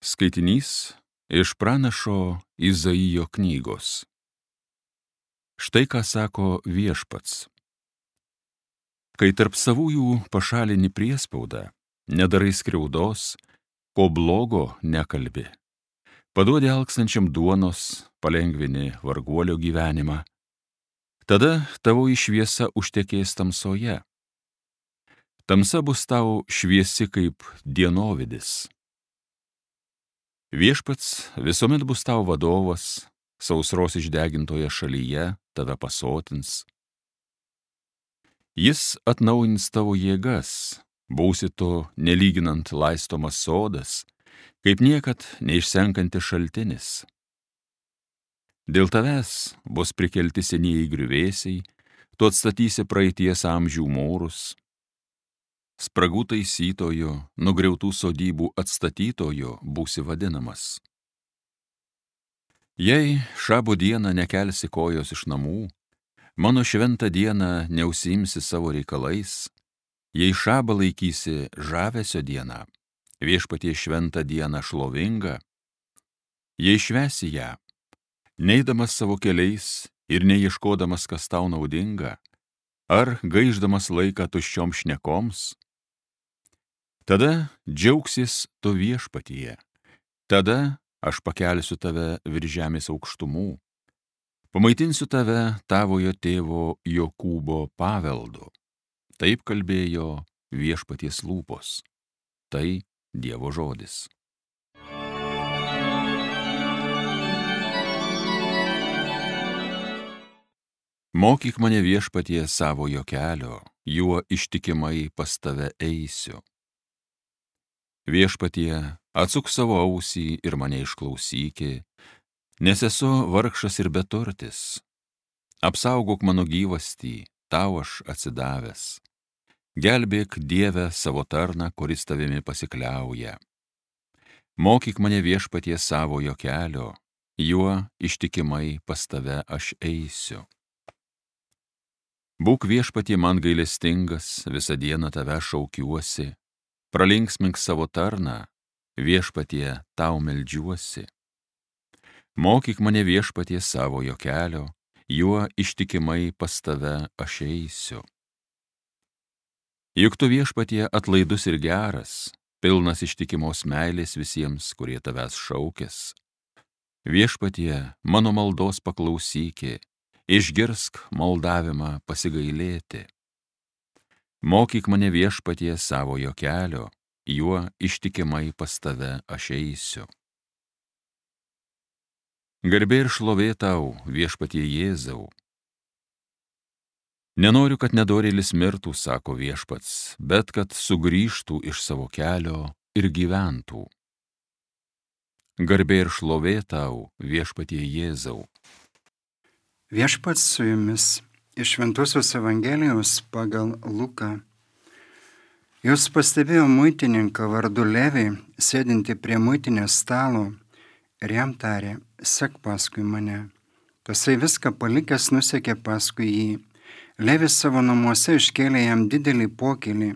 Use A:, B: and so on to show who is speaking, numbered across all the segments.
A: Skaitinys iš pranašo Izaijo knygos. Štai ką sako Viešpats. Kai tarp savųjų pašalini priespaudą, nedarai skriaudos, ko blogo nekalbi, paduodi alkstančiam duonos, palengvini varguolio gyvenimą, tada tavo šviesa užtekės tamsoje. Tamsa bus tau šviesi kaip dienovidis. Viešpats visuomet bus tau vadovas, sausros išdegintoje šalyje tave pasotins. Jis atnaujins tavo jėgas, būsi to nelyginant laistomas sodas, kaip niekad neišsenkantis šaltinis. Dėl tavęs bus prikelti senieji griuvėsiai, tu atstatysi praeities amžių mūrus. Spragų taisytojo, nugriautų sodybų atstatytojo būsi vadinamas. Jei šabo dieną nekelsi kojos iš namų, mano šventą dieną neužsiimsi savo reikalais, jei šabą laikysi žavesio dieną, Viešpaties šventą dieną šlovingą, jei švęsi ją, neidamas savo keliais ir neieškodamas, kas tau naudinga, ar gaišdamas laiką tuščiom šnekoms, tada džiaugsis tu Viešpatyje, tada aš pakelsiu tave virš žemės aukštumų, pamaitinsiu tave tavojo tėvo Jokūbo paveldu. Taip kalbėjo Viešpaties lūpos. Tai Dievo žodis. Mokyk mane Viešpatie savojo kelio, juo ištikimai pas tave eisiu. Viešpatie, atsuk savo ausį ir mane išklausyki, nes esu vargšas ir beturtis. Apsaugok mano gyvastį, tau aš atsidavęs. Gelbėk Dieve savo tarną, kuris tavimi pasikliauja. Mokyk mane Viešpatie savojo kelio, juo ištikimai pas tave aš eisiu. Būk Viešpatie man gailestingas, visą dieną tave šaukiuosi. Pralinksmink savo tarną, Viešpatie tau meldžiuosi. Mokyk mane Viešpatie savojo kelio, juo ištikimai pas tave aš eisiu. Juk tu Viešpatie atlaidus ir geras, pilnas ištikimos meilės visiems, kurie tavęs šaukės. Viešpatie, mano maldos paklausyki, išgirsk maldavimą pasigailėti. Mokyk mane Viešpatie savojo kelio, juo ištikimai pas tave aš eisiu. Garbė ir šlovė tau, Viešpatie Jėzau. Nenoriu, kad nedorėlis mirtų, sako Viešpats, bet kad sugrįžtų iš savo kelio ir gyventų. Garbė ir šlovė tau, Viešpatie Jėzau.
B: Viešpats su jumis. Iš Šventosios Evangelijos pagal Luką. Jūs pastebėjo muitininką vardu Levį, sėdinti prie muitinės stalo, ir jam tarė, sek paskui mane. Tasai viską palikęs nusekė paskui jį. Levis savo namuose iškėlė jam didelį pokylį.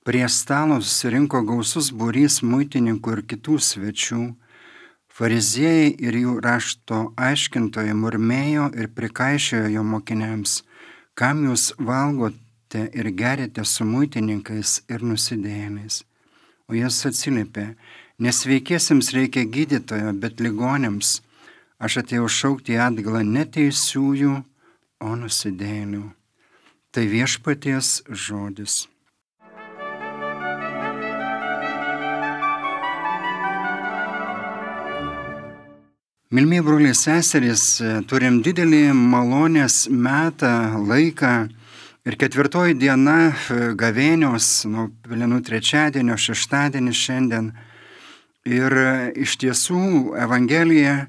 B: Prie stalo susirinko gausus būrys muitininkų ir kitų svečių. Fariziejai ir jų rašto aiškintojai murmėjo ir prikaišiojo jo mokiniams, kam jūs valgote ir geriate su muitininkais ir nusidėjėliais. O jis atsiliepė, nesveikiesiems reikia gydytojo, bet ligoniams. Aš atėjau šaukti į atgalą ne teisiųjų, o nusidėjėlių. Tai Viešpaties žodis. Mylimi broliai seserys, turim didelį malonės metą, laiką ir 4 diena gavėnios, nuo Pelenų trečiadienio, šeštadienis šiandien. Ir iš tiesų Evangelija,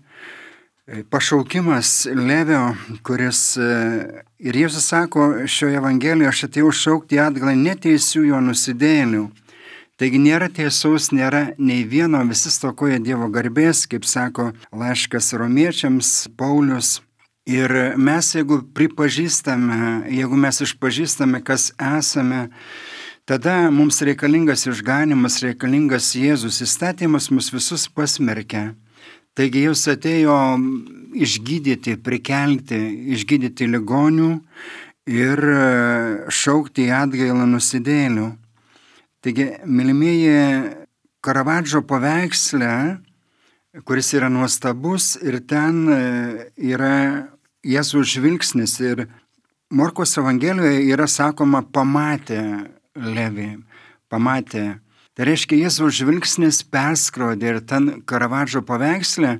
B: pašaukimas Levio, kuris ir Jėzus sako šioje Evangelijoje, aš atėjau šaukti atgalą neteisiųjų, o nusidėjėlių. Taigi nėra tiesos, nėra nei vieno, visi stokoja Dievo garbės, kaip sako laiškas Romiečiams Paulius. Ir mes, jeigu mes išpažįstame, kas esame, Tada mums reikalingas išganimas, reikalingas Jėzus. Įstatymas mus visus pasmerkia. Taigi Jis atėjo išgydyti, prikelti, išgydyti ligonių ir šaukti į atgailą nusidėjėlių. Taigi, mylimieji, Karavadžo paveiksle, kuris yra nuostabus, ir ten yra Jėzaus žvilgsnis. Ir Morkos Evangelijoje yra sakoma, pamatė Levį, pamatė. Tai reiškia, Jėzaus žvilgsnis perskrodė, ir ten Karavadžo paveiksle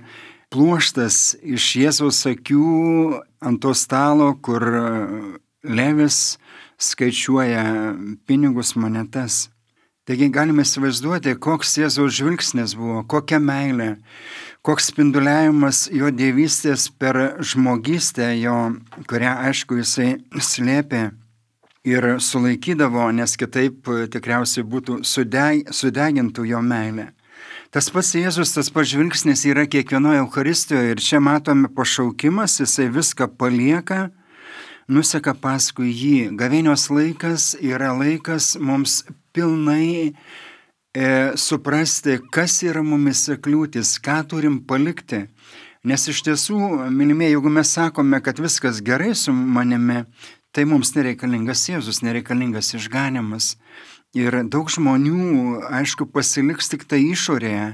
B: pluoštas iš Jėzaus akių ant to stalo, kur Levis skaičiuoja pinigus, monetas. Taigi galime įsivaizduoti, koks Jėzaus žvilgsnis buvo, kokia meilė, koks spinduliavimas jo dievystės per žmogystę jo, kurią, aišku, jisai slėpė ir sulaikydavo, nes kitaip tikriausiai būtų sudegintų jo meilė. Tas pats Jėzus, tas pats žvilgsnis yra kiekvienoje Eucharistijoje, ir čia matome pašaukimas, jisai viską palieka, nuseka paskui jį. Gavėnios laikas yra laikas mums pilnai suprasti, kas yra mumise kliūtis, ką turim palikti. Nes iš tiesų, mylimieji, jeigu mes sakome, kad viskas gerai su manimi, tai mums nereikalingas Jėzus, nereikalingas išganimas. Ir daug žmonių, aišku, pasiliks tik tai išorėje,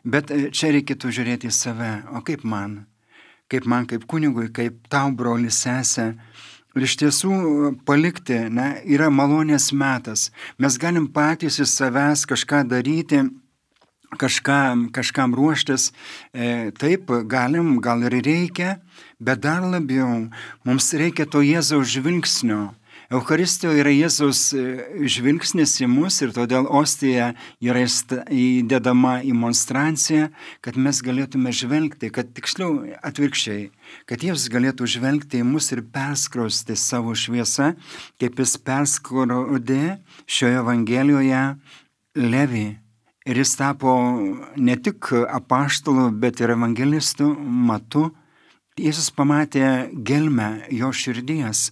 B: bet čia reikėtų žiūrėti į save. O kaip man, kaip kunigui, kaip tau, broli, sesė. Ir iš tiesų palikti, yra malonės metas. Mes galim patys iš savęs kažką daryti, kažkam ruoštis. Taip, galim, gal ir reikia, bet dar labiau mums reikia to Jėzaus žvilgsnio. Eucharistijoje yra Jėzaus žvilgsnis į mus, ir todėl ostija yra įdedama į monstranciją, kad mes galėtume žvelgti, kad tiksliau atvirkščiai, kad Jėzus galėtų žvelgti į mus ir perskrausti savo šviesą, kaip jis perskrodė šioje Evangelijoje Levį. Ir jis tapo ne tik apaštalu, bet ir evangelistu, Matu. Jėzus pamatė gelmę jo širdies.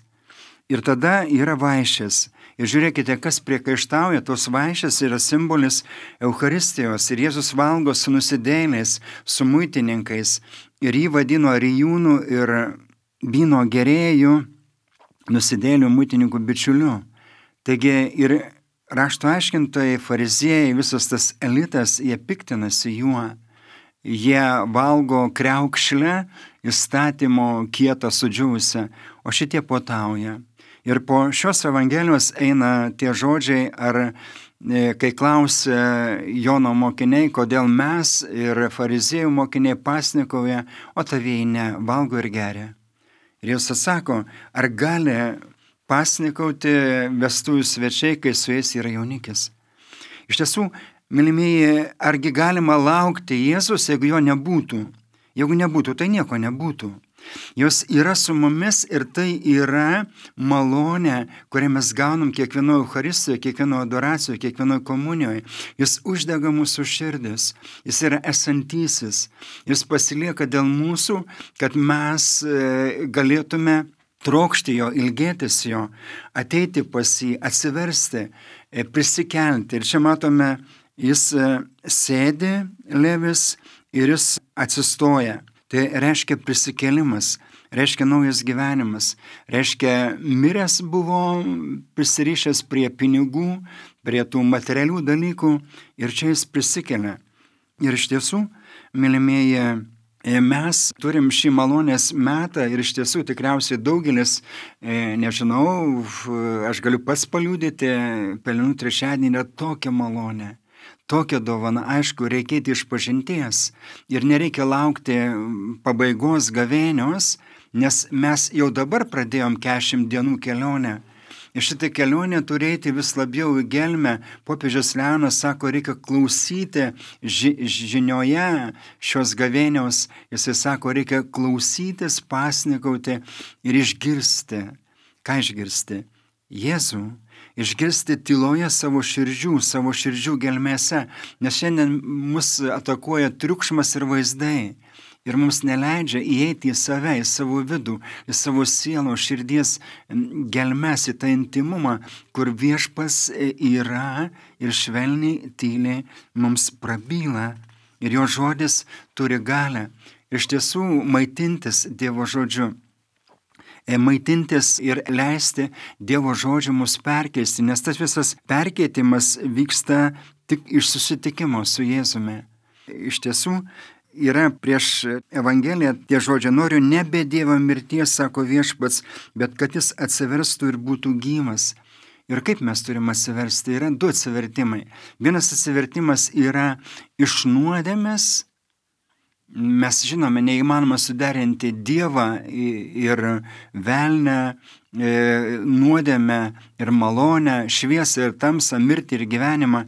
B: Ir tada yra vaišės. Ir žiūrėkite, kas priekaištauja, tos vaišės yra simbolis Eucharistijos. Ir Jėzus valgo su nusidėjėliais, su muitininkais. Ir jį vadino rijūnų ir vyno gerėjų, nusidėjėlių muitininkų bičiuliu. Taigi ir rašto aiškintojai, fariziejai, visas tas elitas, jie piktinasi juo. Jie valgo kriaukšlę, įstatymo kietą sudžiūvusią, o šitie puotauja. Ir po šios Evangelijos eina tie žodžiai, kai klausia Jono mokiniai, kodėl mes ir fariziejų mokiniai pasnikauja, o tavieji ne, valgo ir geria. Ir Jėzus atsako, ar gali pasnikauti vestuvių svečiai, kai su jais yra jaunikis? Iš tiesų, mylimieji, argi galima laukti Jėzus, jeigu jo nebūtų? Jeigu nebūtų, tai nieko nebūtų. Jos yra su mumis, ir tai yra malonė, kurią mes gaunam kiekvienoje Eucharistijoje, kiekvienoje adoracijoje, kiekvienoje komunijoje. Jis uždega mūsų širdis, jis yra esantysis, jis pasilieka dėl mūsų, kad mes galėtume trokšti jo, ilgėtis jo, ateiti pas jį, atsiversti, prisikelti. Ir čia matome, jis sėdi, Levis, ir jis atsistoja. Tai reiškia prisikėlimas, reiškia naujas gyvenimas, reiškia miręs buvo prisirišęs prie pinigų, prie tų materialių dalykų, ir čia jis prisikelia. Ir iš tiesų, mylimieji, mes turim šį malonės metą, ir iš tiesų tikriausiai daugelis, nežinau, aš galiu pats paliudyti, Pelenų trečiadienį yra tokia malonė. Tokia dovana, aišku, reikia išpažinties ir nereikia laukti pabaigos gavėnios, nes mes jau dabar pradėjom 40 dienų kelionę. Ir šitą kelionę turėti vis labiau į gelmę. Popiežius Leonas sako, reikia klausyti žinioje šios gavėnios. Jisai sako, reikia klausytis, pasnikauti ir išgirsti. Ką išgirsti? Jėzų. Išgirsti tyloje savo širdžių gelmėse, nes šiandien mus atakuoja triukšmas ir vaizdai. ir mums neleidžia įeiti į save, į savo vidų, į savo sielo, širdies gelmes, į tą intimumą, kur Viešpats yra ir švelniai, tyliai mums prabyla. Ir jo žodis turi galę. Iš tiesų maitintis Dievo žodžiu. Maitintis ir leisti Dievo žodžiu mus perkeisti, nes tas visas perkeitimas vyksta tik iš susitikimo su Jėzumi. Iš tiesų yra prieš Evangeliją tie žodžiai: noriu nebe Dievo mirties, sako Viešpats, bet kad jis atsiverstų ir būtų gyvas. Ir kaip mes turime atsiversti? Yra du atsivertimai. Vienas atsivertimas yra iš nuodėmės. Mes žinome, neįmanoma suderinti Dievą ir velnę, nuodėmę ir malonę, šviesą ir tamsą, mirtį ir gyvenimą.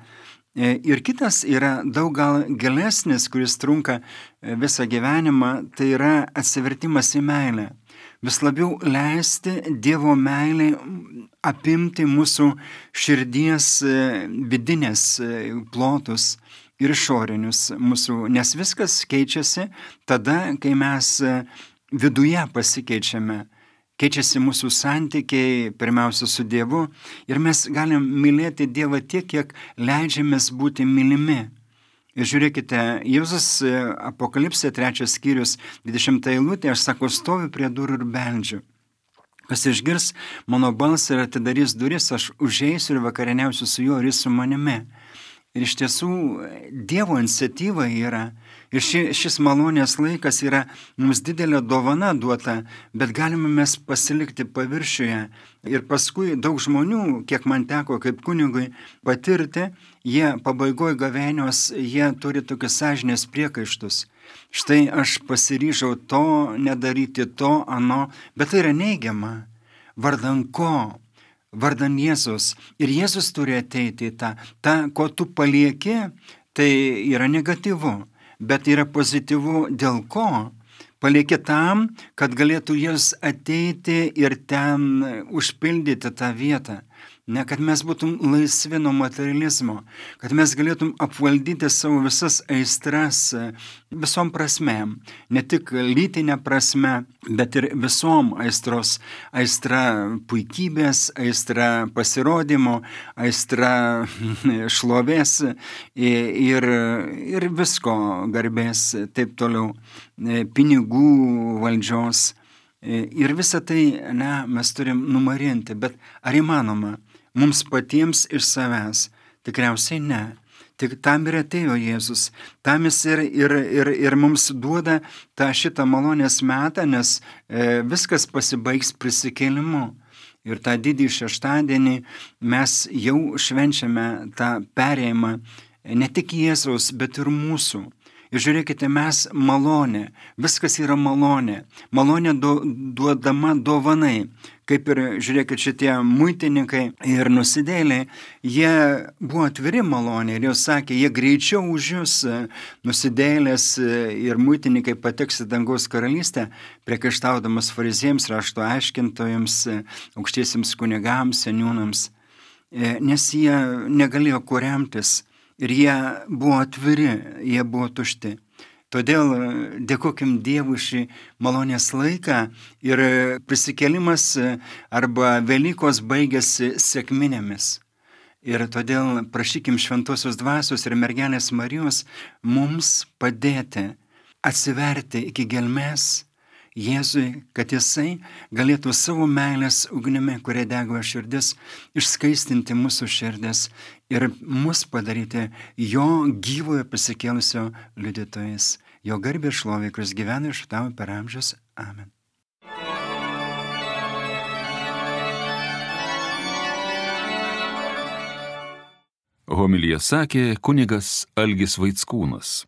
B: Ir kitas yra daug gal gilesnis, kuris trunka visą gyvenimą, tai yra atsivertimas į meilę. Vis labiau leisti Dievo meilei apimti mūsų širdies vidinės plotus ir išorinius mūsų, nes viskas keičiasi tada, kai mes viduje pasikeičiame. Keičiasi mūsų santykiai, pirmiausia, su Dievu, ir mes galim mylėti Dievą tiek, kiek leidžiamės būti mylimi. Ir žiūrėkite, Jėzus Apokalipsė 3 skyrius 20 eilutė, aš sako, stoviu prie durų ir beldžiu. Kas išgirs mano balsą ir atidarys duris, aš užeisiu ir vakarieniausiu su juo ir jis su manimi. Ir iš tiesų Dievo iniciatyva yra, ir šis malonės laikas yra mums didelė dovana duota, bet galime mes pasilikti paviršiuje. Ir paskui daug žmonių, kiek man teko kaip kunigui patirti, jie pabaigoje gavėnios, jie turi tokius sąžinės priekaištus. Štai aš pasiryžau to nedaryti, to, ano, bet tai yra neigiama. Vardan ko? Vardan Jėzus. Ir Jėzus turi ateiti į tą, ko tu palieki, tai yra negatyvu, bet yra pozityvu dėl ko? Palieki tam, kad galėtų Jėzus ateiti ir ten užpildyti tą vietą. Ne, kad mes būtum laisvi nuo materializmo, kad mes galėtum apvaldyti savo visas aistras visom prasmėm, ne tik lytinė prasme, bet ir visom aistros. Aistra puikybės, aistra pasirodymo, aistra šlovės ir visko garbės, taip toliau, pinigų, valdžios. Ir visą tai, mes turim numarinti, bet ar įmanoma? Mums patiems iš savęs? Tikriausiai ne. Tik tam ir atėjo Jėzus. Tam jis ir mums duoda šitą malonės metą, nes viskas pasibaigs prisikėlimu. Ir tą didį šeštadienį mes jau švenčiame tą perėjimą ne tik Jėzaus, bet ir mūsų. Ir žiūrėkite, mes malonė, viskas yra malonė. Malonė duodama dovanai. Kaip ir, žiūrėkit, šitie muitininkai ir nusidėliai, jie buvo atviri malonė ir jau sakė, jie greičiau už jūs, nusidėlės ir muitininkai, pateks į dangaus karalystę, priekaištaudamas farizėjams, rašto aiškintojams, aukštiesiems kunigams, seniūnams, nes jie negalėjo kuo remtis. Ir jie buvo atviri, jie buvo tušti. Todėl dėkokim Dievui šį malonės laiką ir prisikėlimas arba Velykos baigėsi sekminėmis. Ir todėl prašykim Šventosios Dvasios ir Mergelės Marijos mums padėti atsiverti iki gelmės Jėzui, kad jisai galėtų savo meilės ugnimi, kuria dega širdis, išskaistinti mūsų širdis ir mus padaryti jo gyvojo prisikėlusio liudytojais. Jo garbė ir šlovė, kuris gyvena ir šventavo per amžius. Amen.
A: Homiliją sakė kunigas Algis Vaickūnas.